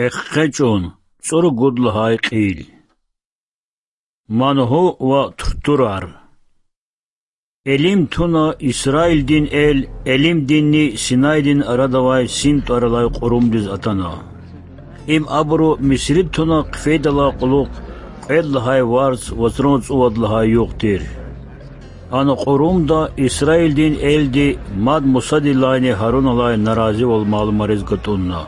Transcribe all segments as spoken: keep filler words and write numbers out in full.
Экъечӏун, цӏуругуд лагьай кьил. Мангьу ва туртурар. Элим туна Исраилдин эл Элимдинни Синайдин арада авай Син тӏвар алай кьурумдиз атана. Им абуру Мисри туна хъфейдалай кьулухъ кьвед лагьай варз вацран цӏувад лагьай югъ тир. Ана кьурумда Исраилдин элди мад Мусадилайни Гьаруналай наразивал малумариз гатӏунна.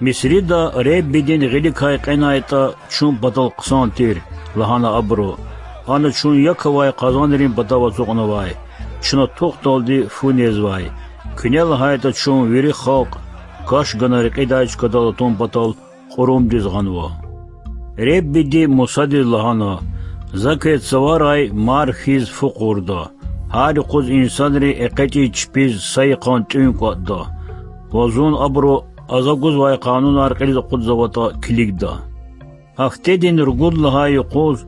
Мисрида Реббидин гъиликай кьенайтӏа, чун патал хъсан тир,— лагьана абуру. Ана чун як авай къазанрин патав ацукьнавай, чна тухдалди фу незвай. Куьне лагьайтӏа, чун вири халкь каш гана рекьидай чкадал атун патал кьурумдиз гъанва. Реббиди Мусадиз лагьана: За квез цаварай мар хьиз фу къурда. Гьар юкъуз инсанри экъечӏиз чпиз са йикъан тӏуьн кӏватӏда ва зун абуру а За гузвай къанунар кьилиз акъудзаватӏа килигда. Гьафтедин ругуд лагьай юкъуз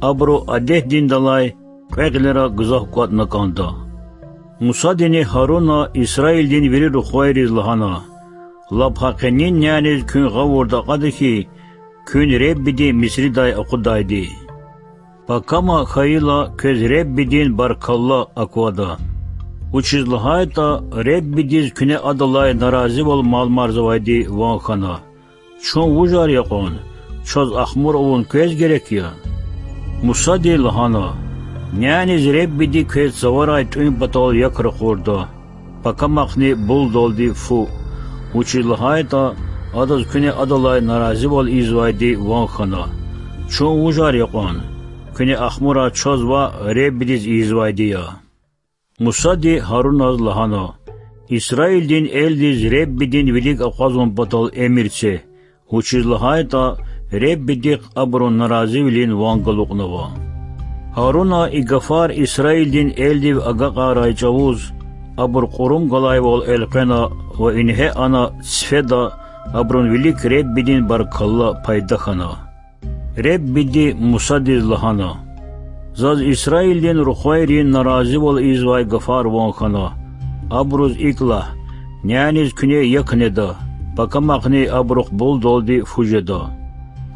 абуру адетдиндалай кьве гъилера гзаф кӏватӏна кӏанда. Мусадини Гьаруна Исраилдин вири рухвайриз лагьана: Лап гьакъинин няниз куьн гъавурда акьада хьи, куьн Реббиди Мисридай акъудайди. Пакама хьайила, квез Реббидин баркалла аквада. Вучиз лагьайтӏа Реббидиз куьне Адалай наразивал малумарзавайди ван хьана. Чун вужар я кьван? Чаз ахмур авун квез герек я? Мусади лагьана: Няниз Реббиди квез цаварай тӏуьн патал як ракъурда, пакамахъни булдалди фу, вучиз лагьайтӏа адаз куьне Адалай наразивал ийизвайди ван хьана. Чун вужар я кьван? Куьне ахмурай чаз ваъ, Реббидиз ийизвайди я. Мусади Гьаруназ лагьана: Исраилдин элдиз Реббидин вилик акъвазун патал эмир це, вучиз лагьайтӏа Реббидихъ абурун наразивилин ван галукьнава. Гьаруна и гафар Исраилдин элдив агакьарай чӏавуз, абур кьурум галайвал элкъвена ва ингье ана цифеда абурун вилик Реббидин баркалла пайда хьана. Реббиди Мусадиз лагьана: Заз Исраилдин рухвайрин наразивал ийизвай гафар ван хьана. Абуруз икӏ лагь: няниз куьне як неда, пакамахъни абурухъ булдалди фу жеда.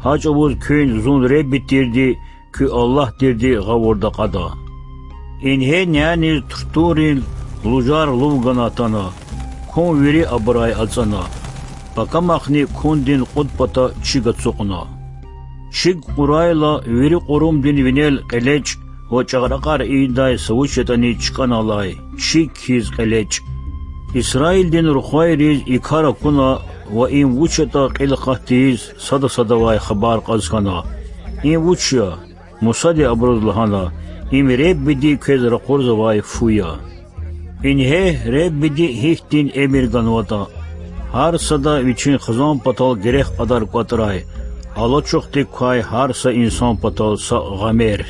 Гьа чӏавуз куьн зун Ребби тирди, куь Аллагь тирди гъавурда акьада. Ингье няниз туртуррин лужар лув гана атана, кун вири абурай ацӏана, пакамахъни кундин кьуд пата чиг ацукьна. Чиг кьурайла, вири кьурумдин винел кьелечӏ ва чӏагъракьар ийидай са вуч ятӏани чкӏана алай чиг хьиз кьелечӏ. Исраилдин рухвайриз и кар акуна ва им вуч ятӏа кьил акъат тийиз сада садавай хабар кьаз хьана: Им вуч я? Мусади абуруз лагьана: Им Реббиди квез ракъурзавай фу я. Ингье Реббиди гьихьтин эмир ганватӏа: гьар сада вичин хизан патал герек кьадар кӏватӏрай, алачухдик квай гьар са инсан патал са гъамер.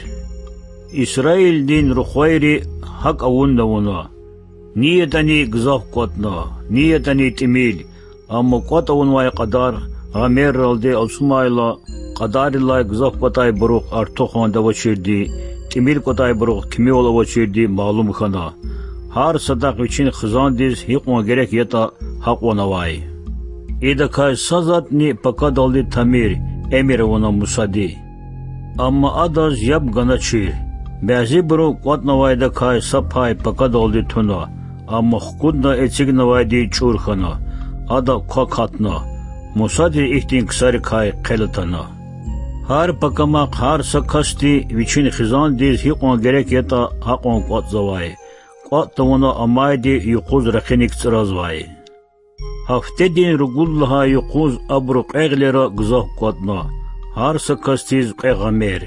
Исраилдин рухвайри гьакӏ авунни авуна: ни ятӏани гзаф кӏватӏна, ни ятӏани тӏимил, амма кӏватӏ авунвай кьадар гъамерралди алцумайла, кьадаррилай гзаф кӏватӏайбурухъ артуханди авачирди, тӏимил кӏватӏайбурухъ кимивал авачирди малум хьана. Гьар садахъ вичин хизандиз гьикьван герек ятӏа, гьакьван авай. Идакай са затӏни пакадалди тамир,— эмир авуна Мусади. Амма адаз яб ганачир. Бязибуру кӏватӏнавайдакай са пай пакадалди туна, амма хкудна эцигнавайди чӏур хьана, ада квак гьатна. Мусадиз ихьтин ксарикай хъел атана. Гьар пакамахъ гьар са касди вичин хизандиз гьикьван герек ятӏа, гьакьван кӏватӏзавай. Кӏватӏ тавуна амайди юкъуз ракъиник цӏразвай. Гьафтедин ругуд лагьай юкъуз абуру кьве гъилера гзаф кӏватӏна, гьар са касдиз кьве гъамер.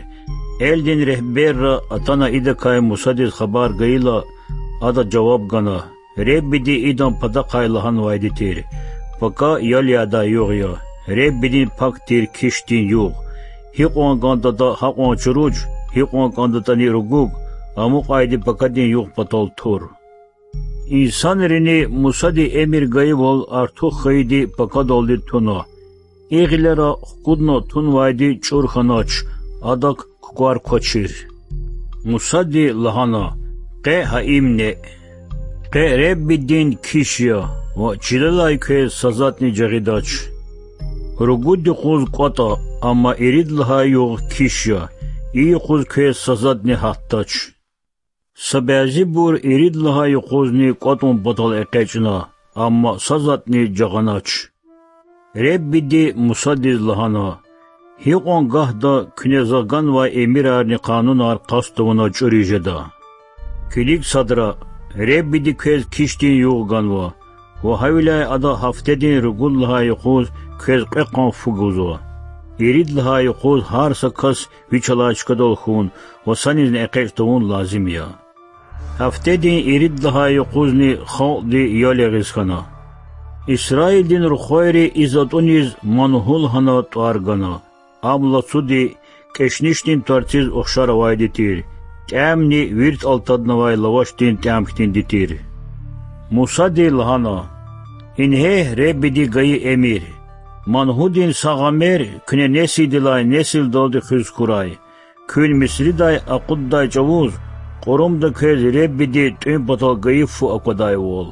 Элдин регьберра атана идакай Мусадиз хабар гайила, ада жаваб гана: Реббиди идан патахъай лагьанвайди тир: Пака ял ядай югъ я, Реббидин пак тир кишдин югъ. Гьикьван кӏандатӏа гьакьван чуруч, гьикьван кӏандатӏани ругуг, амукьайди пакадин югъ патал тур. Инсанрини Мусади эмир гайивал артух хьайиди пакадалди туна. И гъилера хкудна тунвайди чӏур хьанач, адак кукӏвар квачир. Мусади лагьана: Къе гьа им неъ. Къе Реббидин киш я ва чилелай квез са затӏни жагъидач. Ругуд юкъуз кӀватӀа, амма ирид лагьай югъ киш я, и юкъуз квез са затӀни гьатдач. Са бязибур ирид лагьай юкъузни кӀватӀун патал экъечӀна, амма са затӀни жагъанач. Реббиди Мусадиз лагьана: Гьикьван гагьда куьне За ганвай эмирарни къанунар къаст тавуна чӀуриз жеда? Килиг садра, Реббиди квез кишдин югъ ганва, ва гьавиляй ада гьафтедин ругуд лагьай юкъуз квез кьве къан фу гузва. Ирид лагьай юкъуз гьар са кас вич алай чкадал хьун ва санизни экъечӀ тавун лазим я. Гьафтедин ирид лагьай юкъузни халкьди ял ягъиз хьана. Исраилдин рухвайри и затӀуниз мангьу лагьана тӀвар гана. Ам лацуди, кӀешнишдин тварциз ухшар авайди тир, тӀямни вирт алтаднавай лавашдин тӀям хьтинди тир. Мусади лагьана: Ингье Реббиди гайи эмир: мангьудин са гъамер куьне несилдилай несилдалди хуьз хьурай, куьн Мисридай акъуддай чӀавуз кьурумда квез Реббиди тӀуьн патал гайи фу аквадайвал.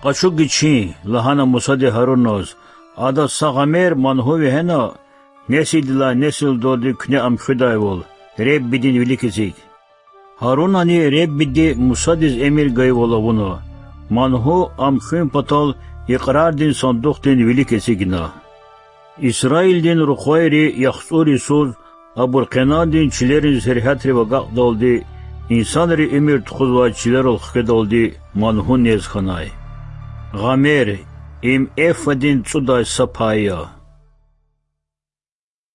Къачу гичин,– лагьана Мусади Гьаруназ,– адаз са гъамер мангьу вегьена, несилдилай несилдалди куьне ам хуьдайвал, Реббидин вилик эциг. Гьарунани Реббиди Мусадиз эмир гайивал авуна, мангьу ам хуьн патал икьрардин сандухдин вилик эцигна. Исраилдин рухвайри яхцӀур йисуз, абур Къенандин чилерин сергьятрив агакьдалди, инсанри уьмуьр тухузвай чилерал хкведалди, мангьу нез хьанай. Гъамер– им эфадин цӀудай са пай я.